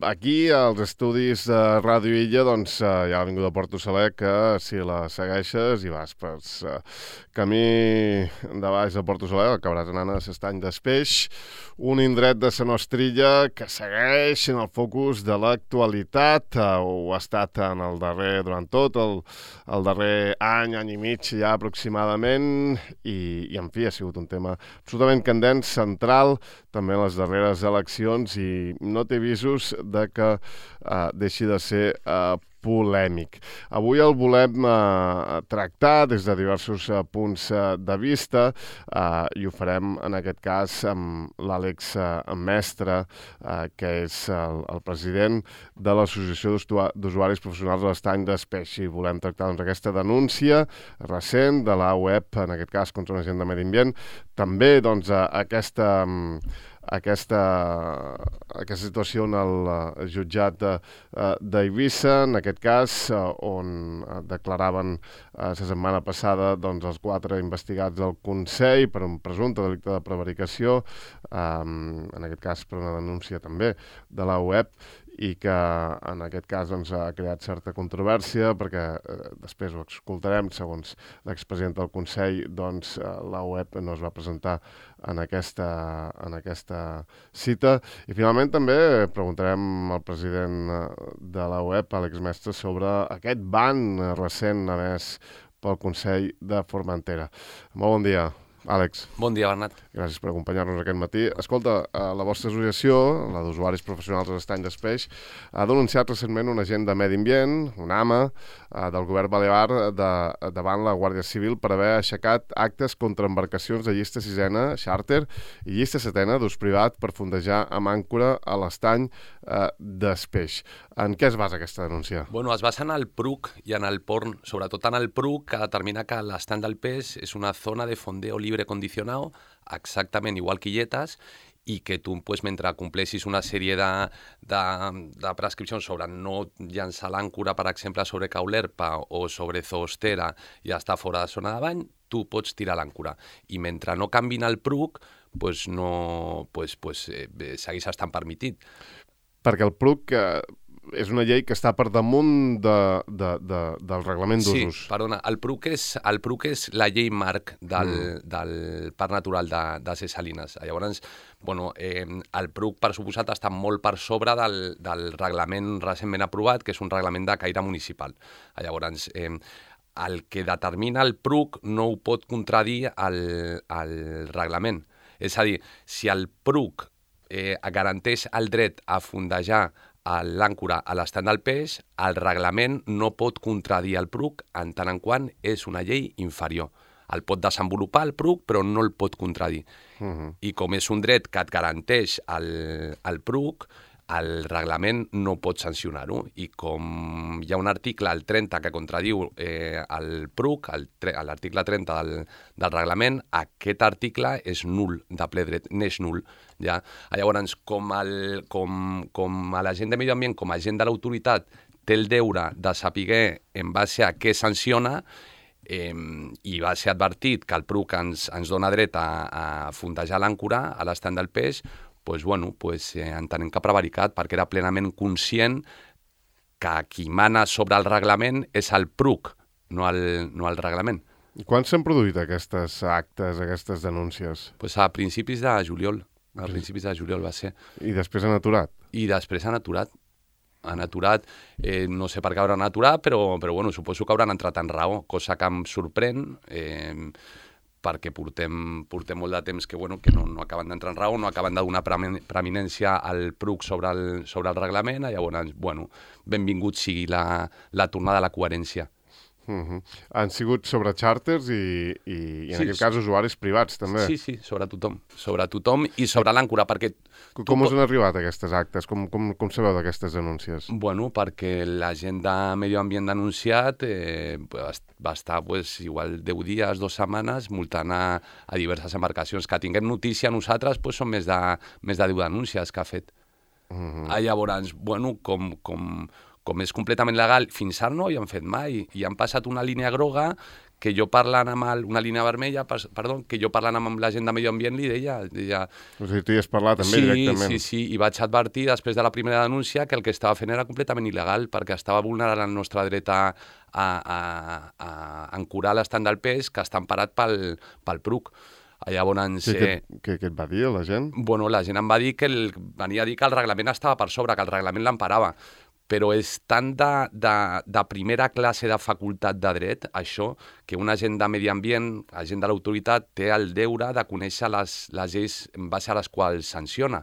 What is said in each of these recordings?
Aquí, als estudis de Ràdio Illa, doncs, hi ha l'Avinguda Porto Saler, que si la segueixes i vas per camí de baix de Porto Saler, acabaràs anant a l'Estany d'Espeix, un indret de Sa Nostrilla que segueix en el focus de l'actualitat, ho ha estat durant tot el darrer any i mig ja aproximadament, i en fi, ha sigut un tema absolutament candent, central, també en les darreres eleccions, i no té visos de que deixi de ser polèmic. Avui el volem tractar des de diversos punts de vista i ho farem en aquest cas amb l'Àlex Mestre, que és el president de l'Associació d'Usuaris Professionals de l'Estany d'Espeix. I volem tractar aquesta denúncia recent de la web, en aquest cas contra un agent de medi ambient, també aquesta situació en el jutjat d'Eivissa, en aquest cas, on declaraven la setmana passada els 4 investigats del Consell per un presumpte delicte de prevaricació, en aquest cas per una denúncia també de la web, i que en aquest cas ha creat certa controvèrsia perquè després ho escoltarem, segons l'expresident del Consell, la web no es va presentar en aquesta cita. I finalment també preguntarem al president de la web, Àlex Mestre, sobre aquest ban recent emès pel Consell de Formentera. Molt bon dia, Àlex. Bon dia, Bernat. Gràcies per acompanyar-nos aquest matí. Escolta, la vostra associació, la d'usuaris professionals de l'Estany d'Espeix, ha denunciat recentment un agent de medi ambient, un AMA, del govern balear davant la Guàrdia Civil per haver aixecat actes contra embarcacions de llista sisena, xàrter, i llista setena d'ús privat per fondejar amb àncora a l'Estany d'Espeix. En què es basa aquesta denúncia? Bueno, es basa en el PRUC i en el PORN, sobretot en el PRUC, que determina que l'Estany del Peix és una zona de fondeo libre condicionado, exactament igual que Illetes, i que tu, mentre compleixis una sèrie de prescripcions sobre no llançar l'àncora, per exemple, sobre Caulerpa o sobre Zoostera i estar fora de zona de bany, tu pots tirar l'àncora. I mentre no canvin el PRUC, segueix estant permitit. Perquè el PRUC és una llei que està per damunt del reglament d'usos. Sí, perdona, el PRUC és la llei marc del Parc Natural de Ses Salines. Llavors, el PRUC, per suposat, està molt per sobre del reglament recentment aprovat, que és un reglament de caire municipal. Llavors, el que determina el PRUC no ho pot contradir el reglament. És a dir, si el PRUC garanteix el dret a fondejar l'àncora a l'Estany del Peix, el reglament no pot contradir el PRUC en tant en quant és una llei inferior. El pot desenvolupar el PRUC, però no el pot contradir. I com és un dret que et garanteix el PRUC, el reglament no pot sancionar-ho. I com hi ha un article, el 30, que contradiu el PRUC, l'article 30 del reglament, aquest article és nul de ple dret, n'és nul. Ja? Llavors, com l'agent de medi ambient, com a agent de l'autoritat, té el deure de saber en base a què sanciona, i va ser advertit que el PRUC ens dona dret a fondejar l'àncora a l'Estany del Peix, entenem que ha prevaricat, perquè era plenament conscient que qui mana sobre el reglament és el PRUC, no el reglament. I quan s'han produït aquestes actes, aquestes denúncies? A principis de juliol. A principis de juliol va ser. I després han aturat? I després han aturat. Han aturat, no sé per què hauran aturat, però suposo que hauran entrat en raó, cosa que em sorprèn, perquè portem molt de temps que no acaben d'entrar en raó, no acaben de donar preeminència al PRUC sobre el reglament, llavors, benvingut sigui la tornada a la coherència. Han sigut sobre xàrters i en aquest cas usuaris privats, també. Sí, sobre tothom i sobre l'àncora, perquè... Com us han arribat aquestes actes? Com sabeu d'aquestes denúncies? Perquè la gent de Medi Ambient denunciat va estar igual 10 dies, 2 setmanes, multant a diverses embarcacions. Que tinguem notícia nosaltres són més de 10 denúncies que ha fet. Llavors, com és completament legal, fins ara no hi han fet mai, i han passat una línia groga que jo parlant amb una línia vermella, perdó, que jo parlant amb la gent de Medi Ambient li deia... O sigui, tu hi has parlat també directament. Sí, i vaig advertir després de la primera denúncia que el que estava fent era completament il·legal perquè estava vulnerant el nostre dret a ancorar l'estand del peix que està emparat pel PRUC. Llavors... Què et va dir la gent? Bueno, la gent em va dir venia a dir que el reglament estava per sobre, que el reglament l'emparava. Però és tan de primera classe de facultat de dret, això, que un agent de medi ambient, agent de l'autoritat, té el deure de conèixer les lleis en base a les quals sanciona.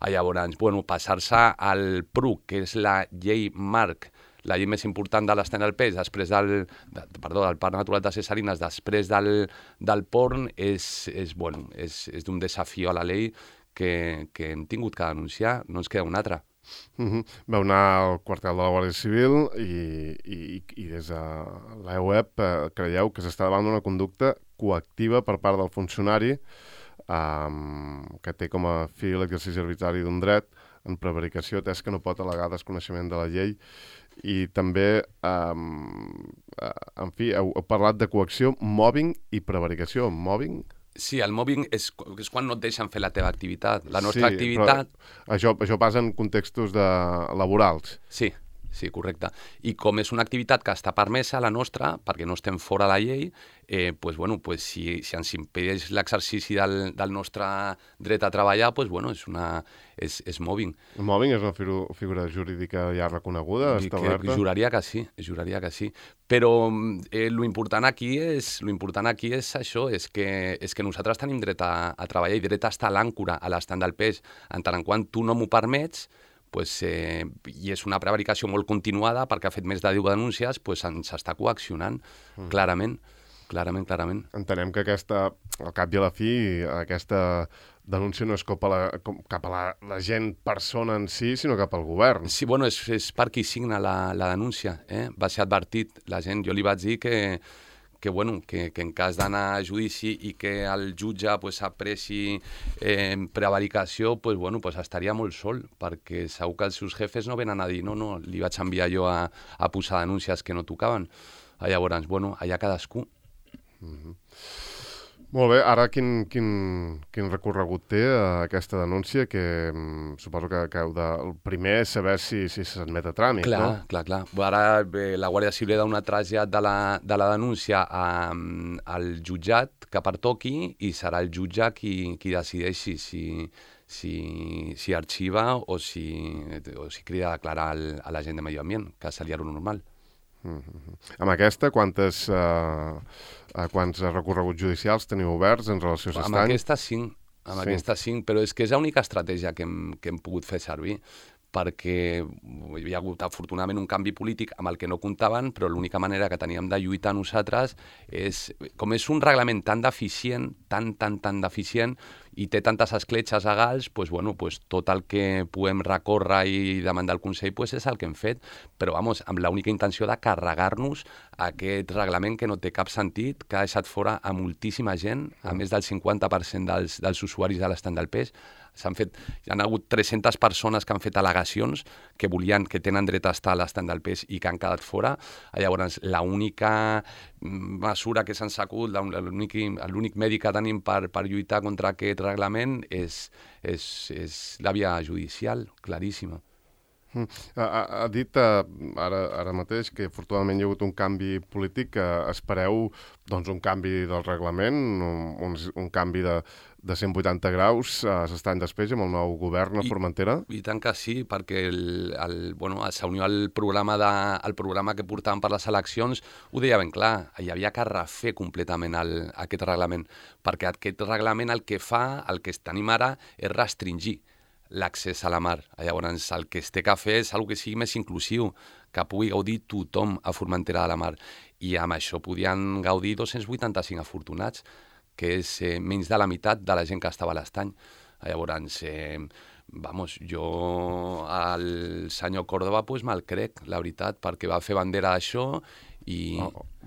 Llavors, bueno, passar-se al PRUC, que és la llei marc, la llei més important de l'estand del peix, després del Parc Natural de Ses Salines, després del porn, és d'un desafió a la llei que hem tingut que denunciar, no ens queda un altre. Vau anar al quartel de la Guàrdia Civil i des de l'EUEP creieu que s'està davant d'una conducta coactiva per part del funcionari que té com a fi l'exercici arbitrari d'un dret en prevaricació, atès que no pot al·legar desconeixement de la llei. I també, en fi, heu parlat de coacció, mobbing i prevaricació. Mobbing? Sí, el mobbing és quan no et deixen fer la teva activitat. La nostra activitat... Això passa en contextos laborals. Sí, correcte. I com és una activitat que està permesa, la nostra, perquè no estem fora de la llei, si ens impedeix l'exercici del nostre dret a treballar, és mobbing. El mobbing és una figura jurídica ja reconeguda, establerta? Juraria que sí. Però l'important aquí és això, és que nosaltres tenim dret a treballar i dret a estar a l'àncora, a l'estand del peix. En tant en quant tu no m'ho permets, i és una prevaricació molt continuada perquè ha fet més de 10 denúncies, ens està coaccionant, clarament. Entenem que al cap i a la fi, aquesta denúncia no és cap a la gent persona en si, sinó cap al govern. Sí, bueno, és per qui signa la denúncia. Va ser advertit la gent. Jo li vaig dir que en cas d'anar a judici i que el jutge apreci prevaricació, estaria molt sol, perquè segur que els seus jefes no venen a dir no, li vaig enviar jo a posar denúncies que no tocaven. Llavors, allà cadascú. Molt bé, ara quin recorregut té aquesta denúncia, que suposo que el primer és saber si s'admet a tràmit, no? Clar. Ara la Guàrdia Civil ha donat trasllat de la denúncia al jutjat que pertoqui i serà el jutge qui decideixi si arxiva o si crida a declarar a l'agent de Medi Ambient, que seria lo normal. Amb aquesta, quants recorreguts judicials teniu oberts en relació a S'Estany? Amb aquesta 5, però és que és l'única estratègia que hem pogut fer servir, perquè hi ha hagut afortunadament un canvi polític amb el que no comptaven, però l'única manera que teníem de lluitar nosaltres és, com és un reglament tan deficient, tan deficient, i té tantes escletxes legals, tot el que podem recórrer i demandar al Consell és el que hem fet, però amb l'única intenció de carregar-nos aquest reglament que no té cap sentit, que ha deixat fora a moltíssima gent, a més del 50% dels usuaris de l'estand del peix. Hi ha hagut 300 persones que han fet al·legacions que tenen dret a estar a l'estand del peix i que han quedat fora. Llavors, l'única mesura que s'han sacut, l'únic mèdic que tenim per lluitar contra aquest reglament és la via judicial, claríssima. Ha dit ara mateix que afortunadament hi ha hagut un canvi polític. Espereu un canvi del reglament, un canvi de 180 graus a S'Estany després amb el nou govern a Formentera? I tant que sí, perquè s'unió al programa que portàvem per les eleccions, ho deia ben clar, hi havia que refer completament aquest reglament, perquè aquest reglament el que fa, el que tenim ara, és restringir l'accés a la mar. Llavors, el que es té que fer és una cosa que sigui més inclusiu, que pugui gaudir tothom a Formentera de la Mar. I amb això podien gaudir 285 afortunats, que és menys de la meitat de la gent que estava a l'estany. Llavors, jo al senyor Córdoba me'l crec, la veritat, perquè va fer bandera d'això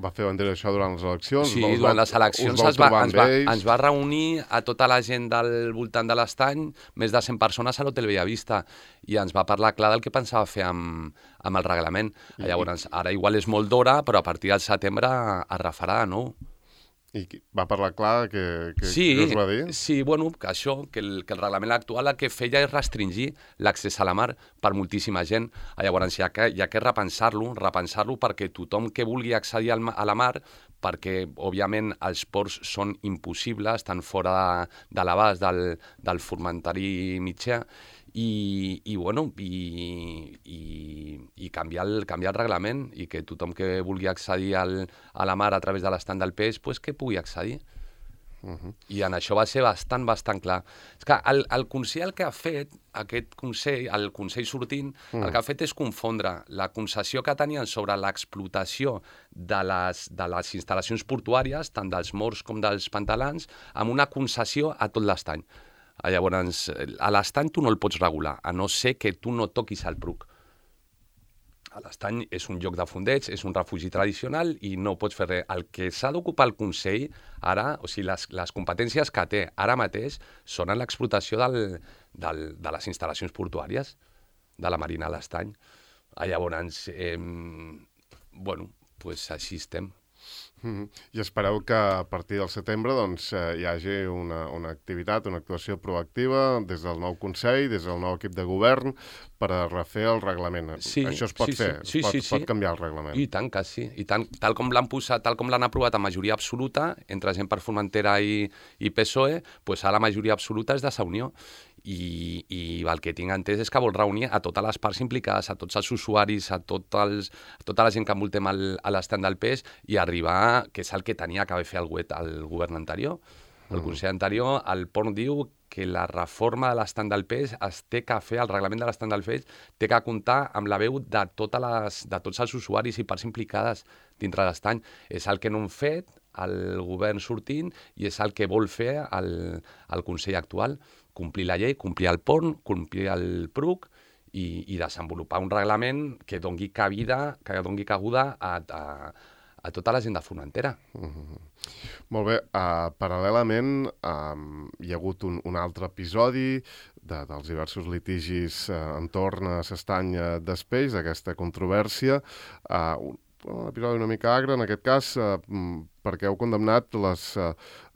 Va fer bandera això durant les eleccions? Sí, durant les eleccions ens va reunir a tota la gent del voltant de l'estany, més de 100 persones a l'Hotel Bellavista, i ens va parlar clar del que pensava fer amb el reglament. Llavors, ara igual és molt d'hora, però a partir del setembre es refarà de nou. I va parlar clar que sí, us va dir? Sí, bueno, que això, que el reglament actual el que feia és restringir l'accés a la mar per moltíssima gent. Llavors hi ha que repensar-lo perquè tothom que vulgui accedir a la mar, perquè òbviament els ports són impossibles, estan fora de l'abast del formentari mitjà, i canviar el reglament i que tothom que vulgui accedir a la mar a través de l'estand del peix, pues que pugui accedir. I en això va ser bastant clar. És que el Consell el que ha fet, aquest Consell, el Consell sortint, el que ha fet és confondre la concessió que tenien sobre l'explotació de les instal·lacions portuàries, tant dels morts com dels pantalans, amb una concessió a tot l'estany. Llavors, a l'estany tu no el pots regular, a no ser que tu no toquis el Pruc. L'estany és un lloc de fondeig, és un refugi tradicional i no pots fer res. El que s'ha d'ocupar el Consell ara, o sigui, les competències que té ara mateix són en l'explotació de les instal·lacions portuàries de la Marina a l'estany. Llavors, pues així estem. I espereu que a partir del setembre hi hagi una activitat, una actuació proactiva des del nou Consell, des del nou equip de govern, per a refer el reglament. Sí, això es pot fer? Sí. Pot canviar el reglament? I tant que sí. I tant, tal com l'han aprovat a majoria absoluta, entre gent per Formentera i PSOE, doncs ara la majoria absoluta és de Sa Unió. I el que tinc entès és que vol reunir a totes les parts implicades, a tots els usuaris, a tota la gent que envoltem a l'estand del peix i arribar, que és el que tenia que haver fet el govern anterior. El Consell anterior, el PORN diu que la reforma de l'estand del peix es té que fer, el reglament de l'estand del peix té que comptar amb la veu de tots els usuaris i parts implicades dintre l'estany. És el que no han fet el govern sortint i és el que vol fer el Consell actual. Complir la llei, complir el PORN, complir el PRUC i desenvolupar un reglament que doni cabuda a tota la gent de Formentera. Molt bé. Paral·lelament, hi ha hagut un altre episodi dels diversos litigis entorn a l'estany d'Espeix, d'aquesta controvèrsia. Un episodi una mica agre, en aquest cas, perquè heu condemnat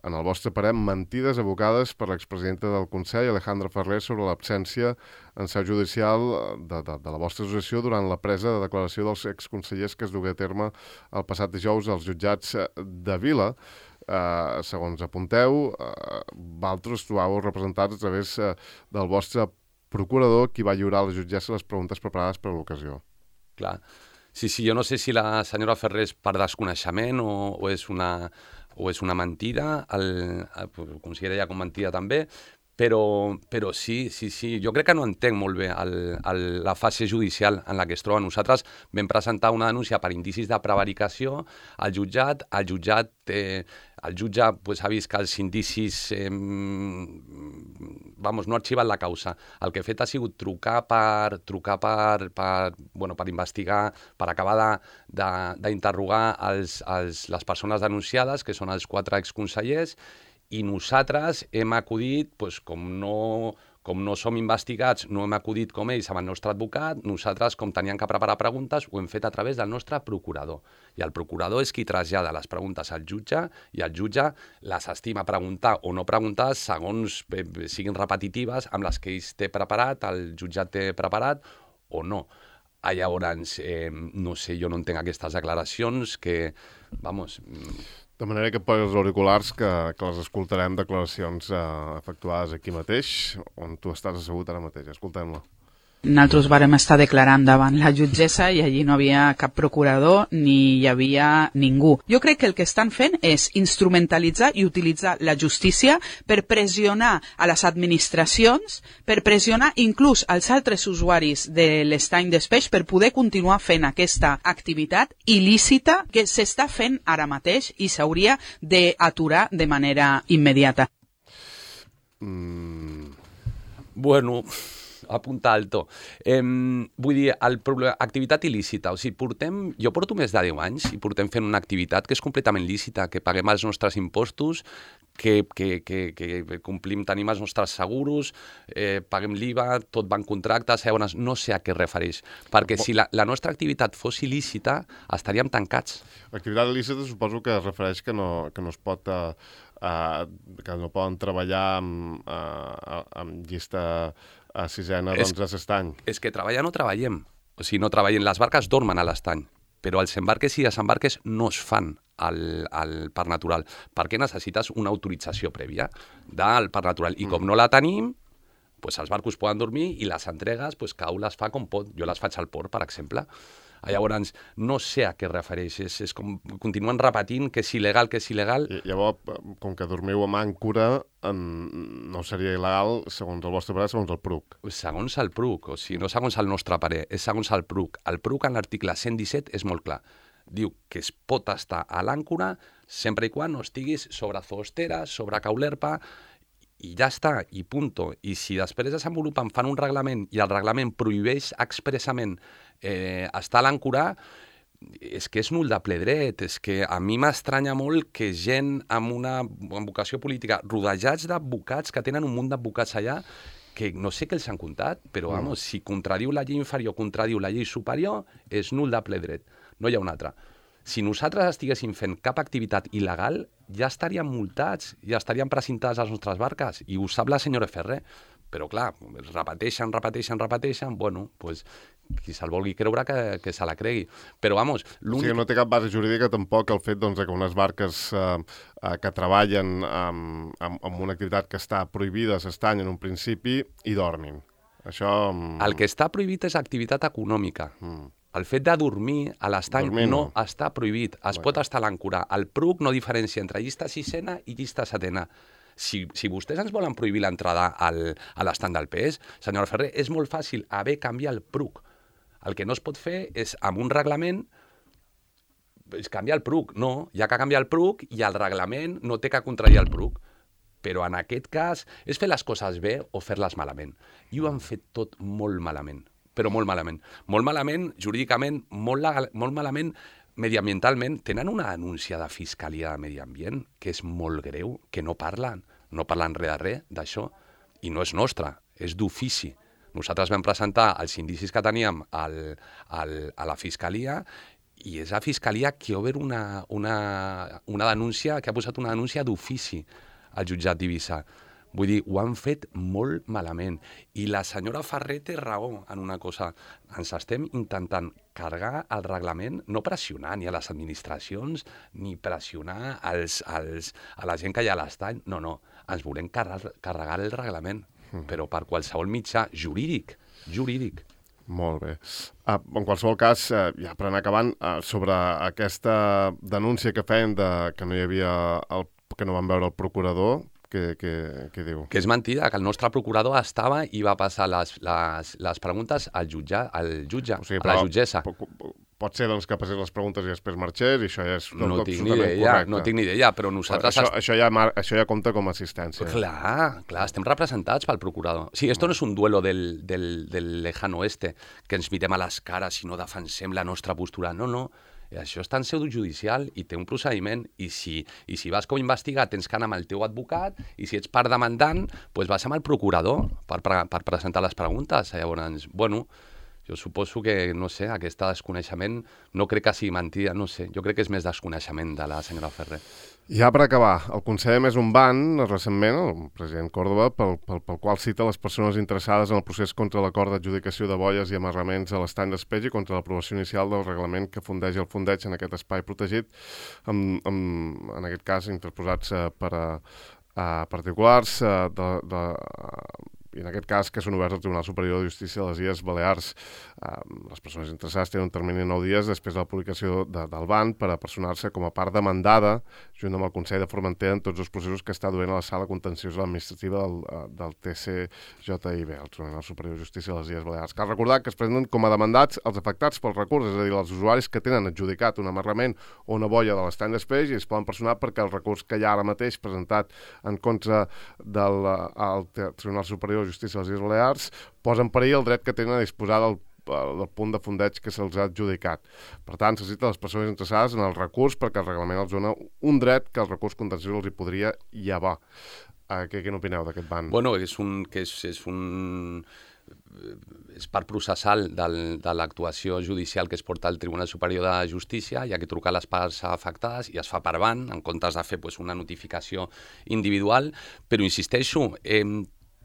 en el vostre parer, mentides evocades per l'expresidenta del Consell, Alejandra Ferrer, sobre l'absència en seu judicial de la vostra associació durant la presa de declaració dels exconsellers que es dugué a terme el passat dijous als jutjats de Vila. Segons apunteu, vosaltres trobàveu representats a través del vostre procurador, qui va lliurar a la jutgessa les preguntes preparades per a l'ocasió. Clar. Sí, jo no sé si la senyora Ferrer és per desconeixement o és una mentida, ho considera com mentida també, però sí, jo crec que no entenc molt bé la fase judicial en la que es troba. Nosaltres vam presentar una denúncia per indicis de prevaricació al jutjat, el jutge ha vist que els indicis no ha arxivat la causa. El que ha fet ha sigut trucar per investigar, per acabar d'interrogar les persones denunciades, que són els 4 exconsellers, i nosaltres hem acudit, com no som investigats, no hem acudit com ells amb el nostre advocat, nosaltres, com teníem que preparar preguntes, ho hem fet a través del nostre procurador. I el procurador és qui trasllada les preguntes al jutge i el jutge les estima preguntar o no preguntar segons siguin repetitives amb les que ells té preparat, el jutjat té preparat o no. Llavors, no sé, jo no entenc aquestes declaracions que, De manera que per als auriculars que les escoltarem, declaracions efectuades aquí mateix, on tu estàs assegut ara mateix. Escoltem-la. Nosaltres vàrem estar declarant davant la jutgessa i allí no havia cap procurador ni hi havia ningú. Jo crec que el que estan fent és instrumentalitzar i utilitzar la justícia per pressionar a les administracions, per pressionar inclús als altres usuaris de l'estany d'Espeix per poder continuar fent aquesta activitat il·lícita que s'està fent ara mateix i s'hauria d'aturar de manera immediata. Bueno, apunta alto. Vull dir, activitat il·lícita. O sigui, jo porto més de 10 anys i portem fent una activitat que és completament lícita, que paguem els nostres impostos, que complim, tenim els nostres seguros, paguem l'IVA, tot va en contractes, llavors no sé a què es refereix. Perquè si la nostra activitat fos il·lícita, estaríem tancats. L'activitat il·lícita suposo que es refereix que no es pot... que no poden treballar amb llista sisena doncs, a l'estany. És que treballar no treballem. O sigui, no treballem. Les barques dormen a l'estany, però els embarques i desembarques no es fan al Parc Natural, perquè necessites una autorització prèvia del Parc Natural. I com no la tenim, doncs els barcos poden dormir i les entregues, doncs cada un les fa com pot. Jo les faig al port, per exemple. Llavors, no sé a què es refereix. És com continuen repetint que és il·legal, que és il·legal. I llavors, com que dormiu amb àncora, no seria il·legal, segons el vostre parer, segons el PRUC. Segons el PRUC, o sigui, no segons el nostre parer, és segons el PRUC. El PRUC, en l'article 117, és molt clar. Diu que es pot estar a l'àncora sempre i quan no estiguis sobre Zostera, sobre Caulerpa, i ja està, i punto. I si després desenvolupen, fan un reglament i el reglament prohibeix expressament estar a l'àncora, és que és nul de ple dret. És que a mi m'estranya molt que gent amb una vocació política, rodejats d'advocats, que tenen un munt d'advocats allà, que no sé què els han comptat, però vamos, si contradiu la llei inferior, contradiu la llei superior, és nul de ple dret. No hi ha un altre. Si nosaltres estiguéssim fent cap activitat il·legal, ja estaríem multats, ja estaríem precintades les nostres barques, i ho sap la senyora Ferrer. Però clar, repeteixen, bueno, doncs qui se'l vulgui creure que se la cregui. Però vamos, l'únic... O sigui, no té cap base jurídica tampoc el fet que unes barques que treballen amb una activitat que està prohibida s'estany en un principi i dormin. Això... El que està prohibit és activitat econòmica. El fet de dormir a l'estany no està prohibit. Es pot estar a l'àncora. El PRUC no diferencia entre llista sisena i llista setena. Si vostès ens volen prohibir l'entrada a l'estany del PES, senyora Ferrer, és molt fàcil haver canviat el PRUC. El que no es pot fer és, amb un reglament, canviar el PRUC. No, hi ha que canviar el PRUC i el reglament no té que contradir el PRUC. Però en aquest cas és fer les coses bé o fer-les malament. I ho han fet tot molt malament, però molt malament. Molt malament jurídicament, molt malament mediambientalment. Tenen una denúncia de Fiscalia de Medi Ambient que és molt greu, que no parlen res de res d'això, i no és nostra, és d'ofici. Nosaltres vam presentar els indicis que teníem a la Fiscalia, i és la Fiscalia que ha obert una denúncia, que ha posat una denúncia d'ofici al jutjat d'Eivissa. Vull dir, ho han fet molt malament. I la senyora Ferrer té raó en una cosa. Ens estem intentant carregar el reglament, no pressionar ni a les administracions, ni pressionar a la gent que hi ha a l'estany. No, ens volem carregar el reglament, però per qualsevol mitjà jurídic. Molt bé. En qualsevol cas, ja per anar acabant, sobre aquesta denúncia que feien que no hi havia que no van veure el procurador, què diu? Que és mentida, que el nostre procurador estava i va passar les preguntes al jutge, o sigui, a la jutgessa. Pot ser doncs, que passés les preguntes i després marxés, i això ja és no tinc ni idea, però nosaltres... Això ja compta com a assistència. Clar, estem representats pel procurador. Sí, esto no és un duelo del lejano oeste, que ens mirem a les cares i no defensem la nostra postura. No. Això està en seu judicial i té un procediment, i si vas com a investigat tens que anar amb el teu advocat, i si ets part demandant, doncs vas amb el procurador per presentar les preguntes. Llavors, bueno, jo suposo que, no sé, aquest desconeixement no crec que sigui mentida, no sé, jo crec que és més desconeixement de la senyora Ferrer. Ja per acabar, el Consell és un ban, recentment, el president Córdoba, pel qual cita les persones interessades en el procés contra l'acord d'adjudicació de boies i amarraments a l'estany d'Espeix i contra l'aprovació inicial del reglament que fundeix el fondeig en aquest espai protegit, en aquest cas interposats per a particulars i en aquest cas que són oberts al Tribunal Superior de Justícia de les Illes Balears. Les persones interessades tenen un termini de 9 dies després de la publicació del ban per a personar-se com a part demandada junt amb el Consell de Formentera en tots els processos que està duent a la sala contenciosa administrativa del TCJIB, el Tribunal Superior de Justícia de les Illes Balears. Cal recordar que es presenten com a demandats els afectats pel recurs, és a dir, els usuaris que tenen adjudicat un amarrament o una boia de l'estany d'espeix i es poden personar perquè el recurs que hi ha ara mateix presentat en contra del Tribunal Superior de Justícia de les Illes Balears posa en perill el dret que tenen a disposar del punt de fondeig que se'ls ha adjudicat. Per tant, s'accepta les persones interessades en el recurs perquè el reglament els dona un dret que el recurs contenciós els hi podria llevar. Què n'opineu d'aquest ban? Bueno, és part processal de l'actuació judicial que es porta al Tribunal Superior de Justícia. Hi ha que trucar les parts afectades i es fa per ban, en comptes de fer una notificació individual. Però insisteixo,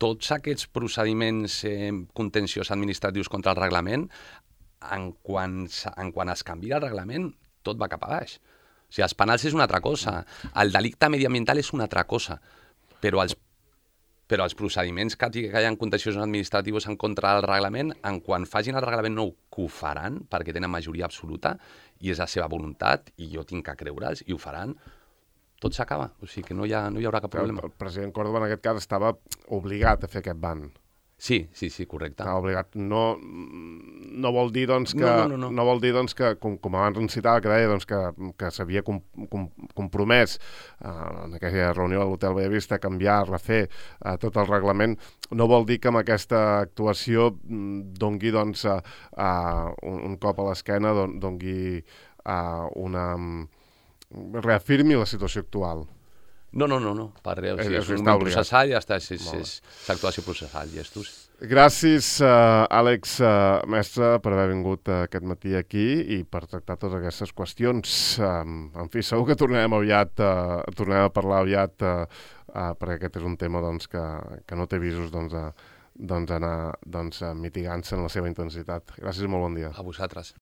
tots aquests procediments contenciosos administratius contra el reglament, en quan es canvia el reglament, tot va cap a baix. O sigui, els penals és una altra cosa, el delicte mediambiental és una altra cosa, però els procediments que hi ha contenciosos administratius en contra del reglament, en quan facin el reglament nou, que ho faran, perquè tenen majoria absoluta, i és la seva voluntat, i jo tinc que creure'ls, i ho faran, tot s'acaba, o sigui que no hi haurà cap problema. El president Córdoba en aquest cas estava obligat a fer aquest ban. Sí, correcte. Estava obligat. No vol dir, doncs, que... No vol dir, doncs, que, com abans ens citava, que deia que s'havia compromès en aquella reunió a l'Hotel Bellavista a canviar, a refer tot el reglament. No vol dir que amb aquesta actuació dongui, doncs, un cop a l'esquena, dongui reafirmi la situació actual. No, per res. És un moment processal i ja està, és l'actuació processal, gestos. Gràcies, Àlex Mestre, per haver vingut aquest matí aquí i per tractar totes aquestes qüestions. En fi, segur que tornarem a parlar aviat, perquè aquest és un tema que no té visos d'anar mitigant-se en la seva intensitat. Gràcies i molt bon dia. A vosaltres.